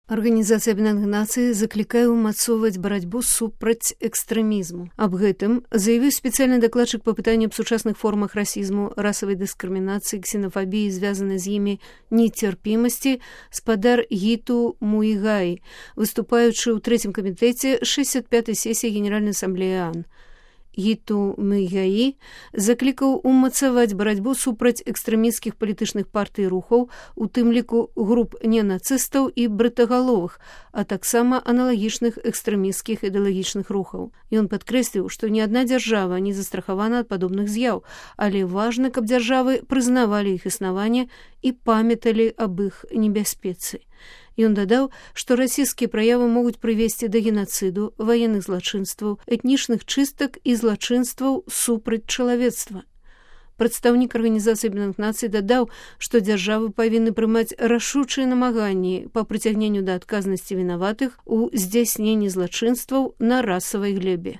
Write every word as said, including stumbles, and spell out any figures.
Арганізацыя Аб'яднаных Нацый заклікае ўмацоўваць барацьбу супраць экстрэмізму. Аб гэтым заявіў спецыяльны дакладчык па пытанні аб сучасных формах расізму, расавай дыскрымінацыі, ксенафабіі, звязанай з імі нецярпімасці, спадар Гіту Муігай, выступаючы ў трэцім камітэце шэсцьдзясят пятай сесіі Генеральнай асамблеі ААН. Гіту Муігаі заклікаў умацаваць барацьбу супраць экстрэмісцкіх палітычных партый і рухаў, у тым ліку груп ненацыстаў і брытагаловых, а таксама аналагічных экстрэмісцкіх ідэалагічных рухаў. Ён падкрэсліў, што ні адна дзяржава не застрахавана ад падобных з'яў, але важна, каб дзяржавы прызнавалі іх існаванне і памяталі аб іх небяспецы. Ён дадаў, што расійскія праявы могуць прывесці да генацыду, ваенных злачынстваў, этнічных чыстак і злачынстваў супраць чалавецтва. Прадстаўнік Арганізацыі Аб'яднаных Нацый дадаў, што дзяржавы павінны прымаць рашучыя намаганні па прыцягненню да адказнасці вінаватых у здзяйсненні злачынстваў на расавай глебе.